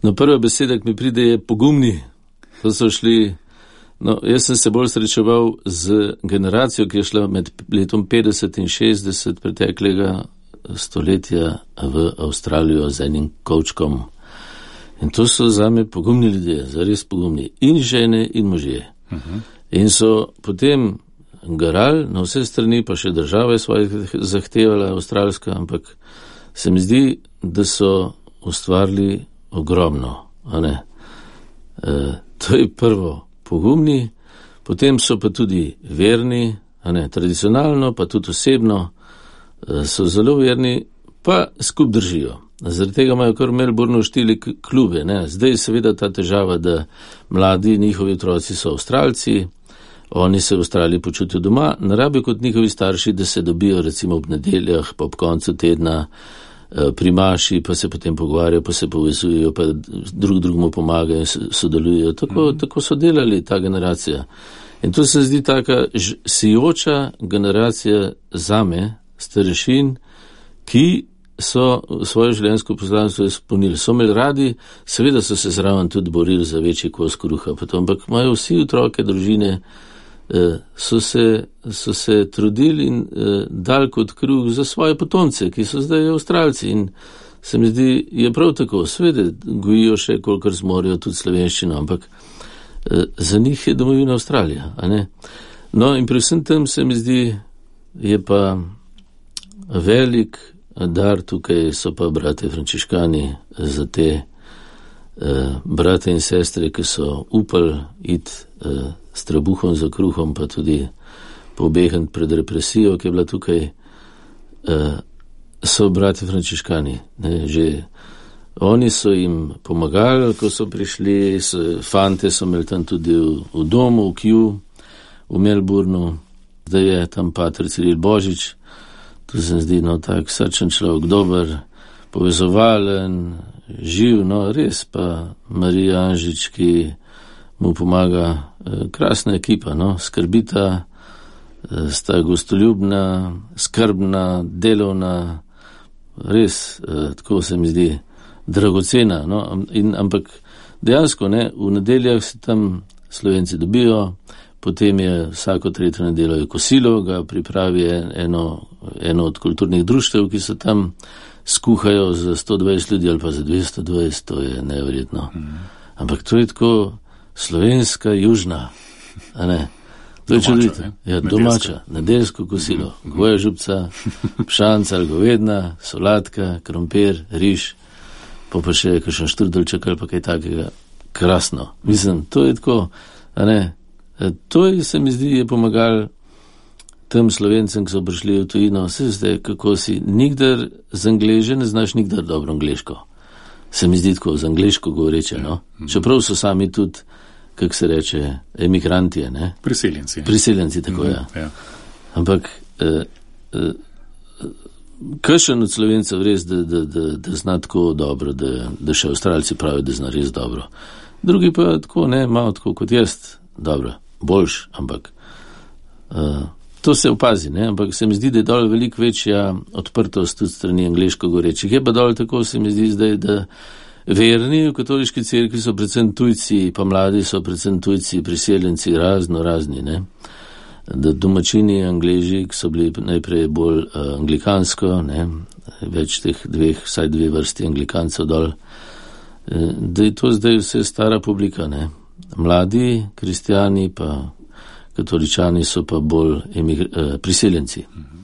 No, prva beseda, ki mi pride, je pogumni. To so šli, no, jaz sem se bolj srečeval z generacijo, ki je šla med letom 50 in 60 preteklega stoletja v Avstralijo z enim kovčkom. In to so zame pogumni ljudje, zares pogumni. In žene, in možje. In so potem garali na vse strani, pa še država je svoje zahtevala, avstralska, ampak se mi zdi, da so ustvarili ogromno. A ne? To je prvo, pogumni, potem so pa tudi verni, a ne, tradicionalno, pa tudi osebno, so zelo verni, pa skup držijo. Zaradi tega imajo kar v Melbourneu štiri klube. Ne. Zdaj je seveda ta težava, da mladi, njihovi otroci so Avstralci, oni se v Avstraliji počutijo doma, ne rabijo kot njihovi starši, da se dobijo recimo ob nedeljah, pa ob koncu tedna pri maši, pa se potem pogovarjajo, pa se povezujejo, pa drugemu pomagajo, sodelujejo. Tako so delali ta generacija. In to se zdi taka sijoča generacija zame, starešin, ki so svoje življenjsko poslanstvo izpolnili. So imeli radi, seveda so se zraven tudi borili za večji kos kruha, ampak imajo vsi otroke, družine, so se trudili in dali kot kruh za svoje potomce, ki so zdaj Avstralci. In se mi zdi, je prav tako, seveda gojijo še, kolikor zmorejo tudi slovenščino, ampak za njih je domovina Avstralija. A ne? No in pri vsem tem se mi zdi, je pa velik dar, tukaj so pa brate frančiškani za te brate in sestre, ki so upali iti s trebuhom za kruhom, pa tudi pobegant pred represijo, ki je bila tukaj, so brate frančiškani. Ne, že oni so jim pomagali, ko so prišli, fante so imeli tam tudi v domu, v Kew, v Melbourneu, zdaj je tam pater Ciril Božič. To se zdi, no, tak srčen človek, dober, povezovalen, živ, no, res pa Marija Anžič, ki mu pomaga, krasna ekipa, no, skrbita, sta gostoljubna, skrbna, delovna, res, tako se mi zdi, dragocena, no, ampak dejansko, ne, v nedeljah se tam Slovenci dobijo, potem je vsako tretjo nedeljo je kosilo, ga pripravi eno od kulturnih društev, ki se tam skuhajo za 120 ljudi ali pa za 220, to je neverjetno. Ampak to je tako slovenska, južna, a ne? To je čudovito. Ja, domača, nedeljsko kosilo, goja župca, pšanca ali govedna, solatka, krompir, riž, pa še kakšen štrdelček ali pa kaj takega. Krasno. Mislim, to je tako, a ne? To je, se mi zdi, je pomagal tem Slovencem, ki so prišli v tujino. Se zdaj, kako si nikdar z Angleže ne znaš nikdar dobro angleško. Se mi zdi tako, z angleško govoreče, no? Čeprav so sami tudi, kako se reče, emigranti, ne? Priseljenci. Priseljenci, tako, ja. Ampak, kakšen od Slovencev res, da zna tako dobro, da še Avstralci pravijo, da zna res dobro. Drugi pa tako, ne, malo tako kot jaz, dobro, boljš, ampak to se opazi, ne, ampak se mi zdi, da je dol veliko večja odprtost tudi strani angleško govorečih. Je pa dol tako, se mi zdi zdaj, da verni v katoliški cerkvi so predvsem tujci, pa mladi so predvsem tujci, priseljenci, razni, ne, da domačini Angleži, ki so bili najprej bolj anglikansko, ne, več teh vsaj dve vrsti anglikancev dol, da je to zdaj vse stara publika, ne. Mladi kristijani pa katoličani so pa bolj priseljenci.